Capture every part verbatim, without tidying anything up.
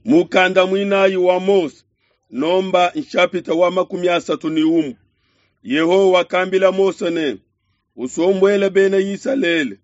Mukanda muinayi wa Mose, nomba nshapita wa makumi asatu ne umue. Yehowa wakambila Mose ne, usombuele bena Isalele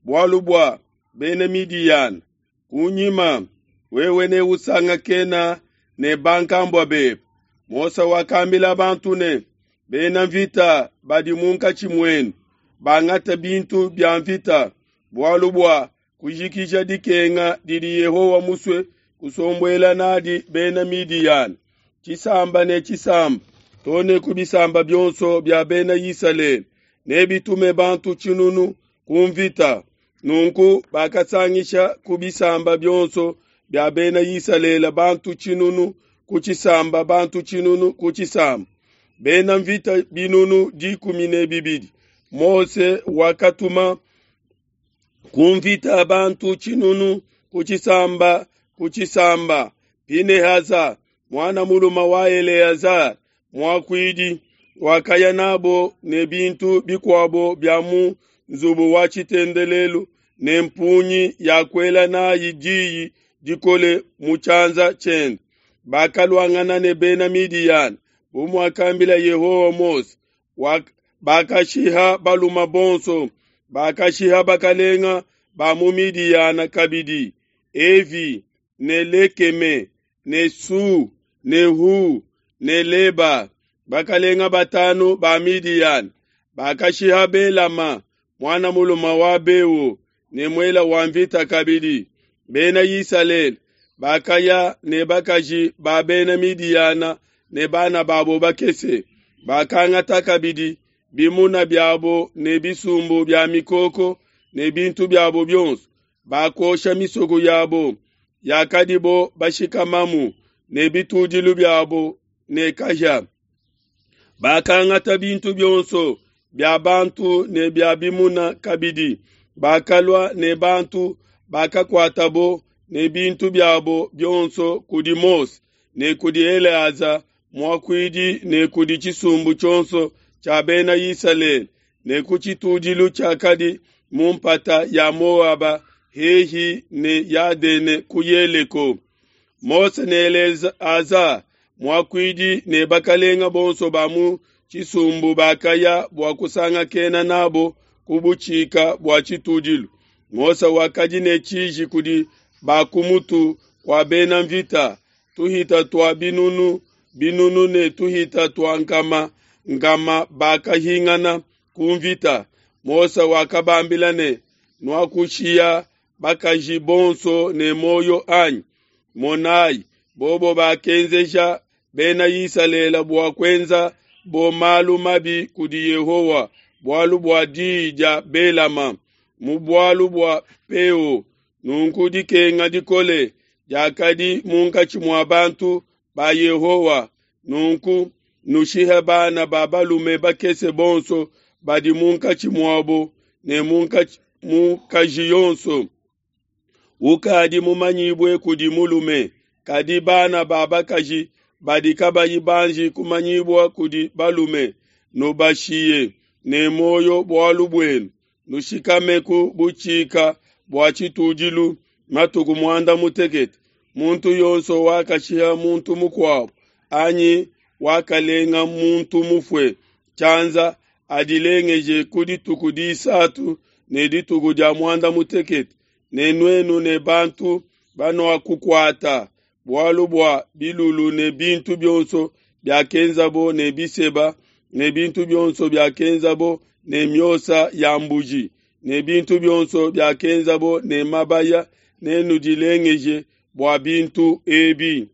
bualu bua bena Midiyana. Kunyima wewe neusangakena ne bankambua bebe. Mose wakambila bantu ne, bena mvita badi munkatshi muenu bangate bintu bia mvita bualu bua kujikija dikenga didi Yehowa musue kusombuela nadi bena Midiyana, tshisamba ne tshisamba, too ne ku bisamba bionso bia bena Isalele, nebitume bantu tshinunu ku mvita. Nunku bakasangisha ku bisamba bionso bia bena Isalele bantu tshinunu ku tshisamba, bantu tshinunu ku tshisamba, bena mvita binunu dikumi ne bibidi. Mose wakatuma ku mvita bantu tshinunu ku tshisamba ku tshisamba. Pinehasa muana mulume wa Eleazar muakuidi wakaya nabo ne bintu bikuabo bia mu nzubu wa tshitendelelu ne mpungi ya kuela nayi diyi dikole mu tshianza tshiende. Bakaluangana ne bena Midiyana bu muakambila Yehowa Mose. Bakashiha balume bonso, bakashiha bakalenga ba mu Midiyana kabidi, Evi ne Lekeme ne Su ne Hu ne Leba, bakalenga batanu ba Midiyana. Bakashiha Belama muana mulume wa Beo ne muela wa mvita kabidi. Bena Isalele bakaya ne bakaji ba bena Midiyana ne bana babo bakese. Bakangata kabidi bimuna biabo ne bisumbu bia mikoko ne bintu biabo bionso. Bakosha misoko yabo yakadibo bashikamamu ne bitudilu biabo ne kahia. Bakangata bintu bionso bia bantu ne bia bimuna kabidi. Bakalua ne bantu bakakuatabo ne bintu biabo bionso kudi Mose ne kudi Eleaza muakuidi ne kudi tshisumbu tshionso tshia bena Isalele ne ku tshitudilu tshiakadi mu mpata ya Moaba hehi ne Yadene ku Yeleko. Mose ne Eleaza muakuidi ne bakalenga bonso ba mu tshisumbu bakaya bua kusangakena nabo ku butshika bua tshitudilu. Mose wakadi ne tshiji kudi ba ku mutu kua bena mvita, tuhita tua binunu binunu ne tuhita tua nkama nkama bakahingana ku mvita. Mose wakabambila ne, nuakushiya bakaji bonso ne moyo anyi? Monayi, bobo bakenzeja bena Isalele bua kuenza bo malu mabi kudi Yehowa bualu bua diyi dia Belama mu bualu bua Peo. Nunku dikenga dikole diakadi munkatshi mua bantu ba Yehowa. Nunku nushihe bana ba balume bakese bonso badi munkatshi muabo ne mukaji yonso ukadi mumanyibue kudi mulume, kadi bana ba bakaji badi kabayi banji kumanyibua kudi balume nubashiye ne moyo bualu buenu. Nushikame ku butshika bua tshitudilu matuku muanda mutekete. Muntu yonso wakashiha muntu mukuabo anyi wakalenga muntu mufue tshianza adilengeje ku dituku disatu ne dituku dia muanda mutekete, ne nuenu ne bantu banuakukuata bualu bua bilulu ne bintu bionso biakenzabo ne biseba ne bintu bionso biakenzabo ne miosa ya mbuji ne bintu bionso biakenzabo ne mabaya, nenudilengeje bua bintu ebi.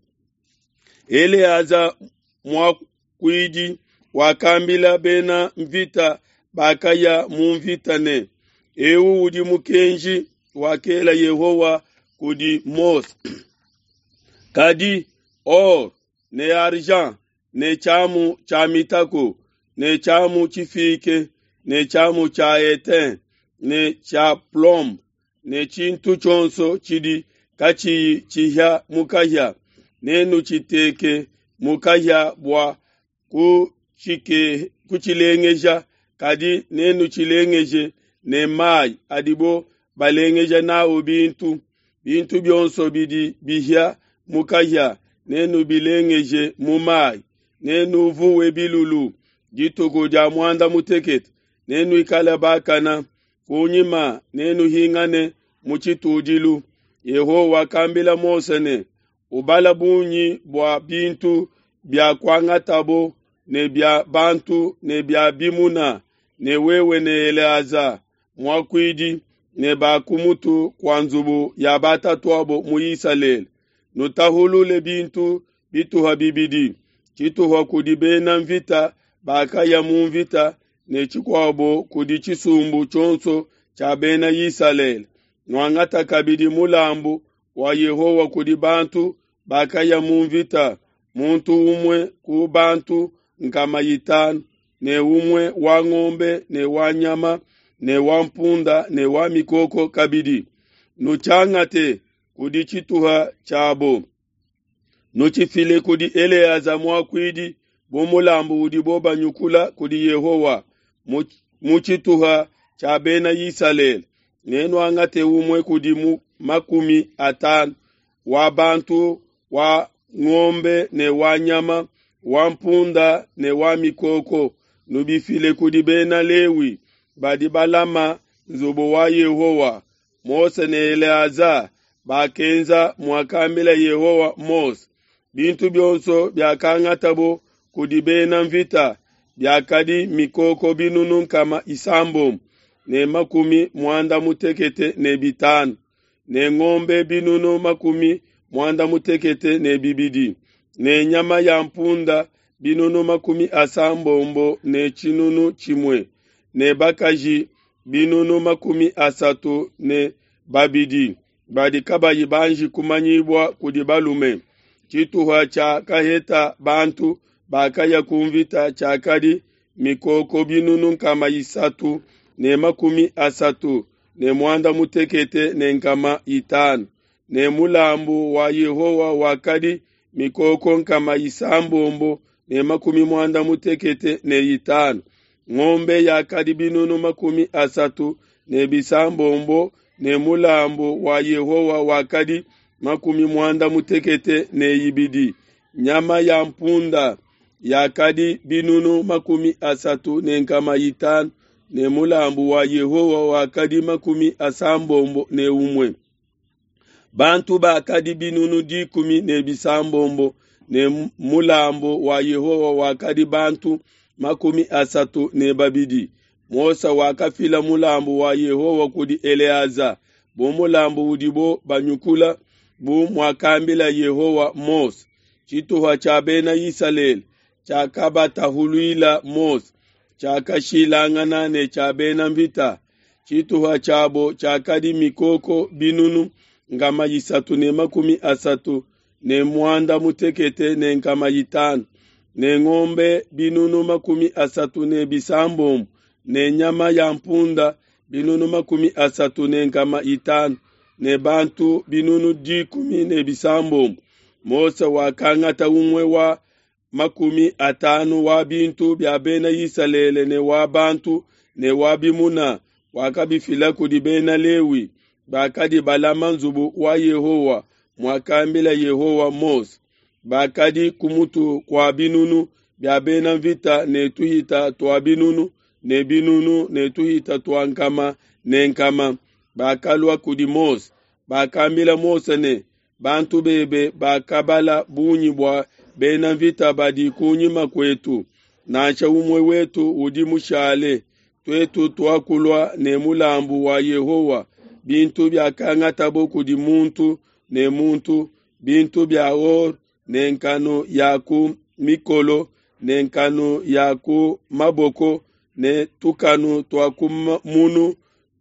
Eleaza muakuidi wakambila bena mvita bakaya mu mvita ne, eu udi mukenji wakela Yehowa kudi Mose. Kadi or ne argent ne tshiamu tshia mitako ne tshiamu tshifike ne tshiamu tshia etain ne tshia plomb ne tshintu tshionso tshidi katshiyi tshihia mu kahia, nenutshiteke mu kahia bua kutshilengeja, kadi nenutshilengeje ne mayi adibo balengeja nawu bintu. Bintu bionso bidi bihia mu kahia, nenubilengeje mu mai, nenuvuwe bilulu. Dituku dia muanda mutekete nenuikale bakana, kunyima nenuhingane mu tshitudilu. Yehowa wakambila Mose ne, Ubala bungi bua bintu bia kuangatabo ne bia bantu ne bia bimuna, ne wewe ne Eleaza muakuidi ne ba ku mutu kua nzubu ya batatuabo mu Isalele, nutahulule bintu bituha bibidi, tshituha kudi bena mvita bakaya mu mvita ne tshikuabo kudi tshisumbu tshionso tshia bena Isalele. Nuangata kabidi mulambu wa Yehowa kudi bantu bakaya mu mvita, muntu umue ku bantu nkama itanu, ne umue wa ngombe ne wa nyama ne wa mpunda ne wa mikoko kabidi. Nutshiangate kudi tshituha tshiabo, nutshifile kudi Eleaza muakuidi bu mulambu udibo banyukula kudi Yehowa mu tshituha tshia bena Isalele. Nenuangate umue kudi makumi atanu wa bantu wa ngombe ne wa nyama wa mpunda ne wa mikoko, nubifile kudi bena Lewi badi balama nzubu wa Yehowa. Mose ne Eleaza bakenza muakambila Yehowa Mose. Bintu bionso biakangatabo kudi bena mvita biakadi mikoko binunu nkama isambombo ne makumi muanda mutekete ne bitanu, ne ngombe binunu makumi muanda mutekete ne bibidi, ne nyama ya mpunda binunu makumi asambombo ne tshinunu tshimue, ne bakaji binunu makumi asatu ne babidi badi kabayi banji kumanyibua kudi balume. Tshituha tshia kaheta bantu bakaya ku mvita tshiakadi mikoko binunu nkama isatu ne makumi asatu ne muanda mutekete ne nkama itanu, ne mulambu wa Yehowa wakadi mikoko nkama isambombo ne makumi muanda mutekete ne itanu, ngombe yakadi binunu makumi asatu ne bisambombo ne mulambu wa Yehowa wakadi makumi muanda mutekete ne ibidi, nyama ya mpunda yakadi binunu makumi asatu ne nkama itanu ne mulambu wa Yehowa wakadi makumi asambombo ne umue. Bantu bakadi binunu dikumi ne bisambombo ne mulambu wa Yehowa wakadi bantu makumi asatu ne babidi. Mose wakafila mulambu wa Yehowa kudi Eleaza bu mulambu udibo banyukula, bu muakambila Yehowa Mose. Tshituha tshia bena Isalele tshiakabatahuluila Mose tshiakashilangana ne tshia bena mvita. Tshituha tshiabo tshiakadi mikoko binunu nkama isatu ne makumi asatu ne muanda mutekete ne nkama itanu, ne ngombe binunu makumi asatu ne bisambombo, ne nyama ya mpunda binunu makumi asatu ne nkama itanu, ne bantu binunu dikumi ne bisambombo. Mose wakangata umue wa makumi atanu wa bintu bia bena Isalele ne wa bantu ne wa bimuna, wakabifila kudi bena Lewi bakadi balama nzubu wa Yehowa, muakambila Yehowa Mose. Bakadi ku mutu kua binunu bia bena mvita ne tuhita tua binunu ne binunu ne tuhita tua nkama ne nkama. Bakalua kudi Mose, bakambila Mose ne, bantu bebe bakabala bungi bua bena mvita badi kunyima kuetu, nansha umue wetu udi mushale. Tuetu tuakulua ne mulambu wa Yehowa, bintu biakangatabo kudi muntu ne muntu, bintu bia or ne nkanu ya ku mikolo ne nkanu ya ku maboko ne tukanu tua ku munu,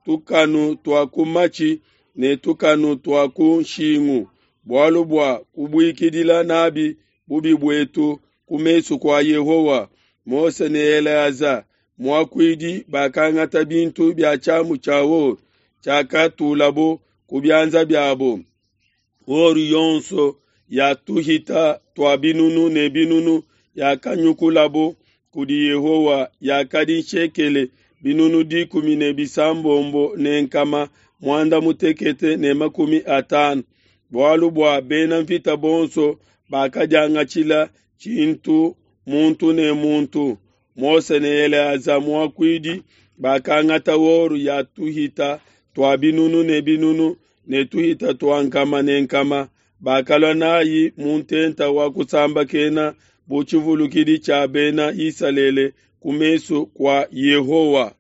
tukanu tua ku matshi ne tukanu tua ku nshingu, bualu bua kubuikidila nabi bubi buetu ku mesu kua Yehowa. Mose ne Eleaza muakuidi bakangata bintu bia tshiamu tshia or tshiakatulabo ku bianza biabo. Or yonso ya tuhita tua binunu ne binunu yakanyukulabo kudi Yehowa yakadi nshekele binunu dikumi ne bisambombo ne nkama muanda mutekete ne makumi atanu. bualu bua bena nvita bonso bakadiangatshila tshintu muntu ne muntu. Mose ne Eleaza muakuidi bakangata or ya tuhita tua binunu ne binunu ne tuhita tua nkama ne nkama, bakalua n'ai mu ntenta wa kusambakena bu tshivulukidi tshia Bena Isalele ku mesu kua Yehowa.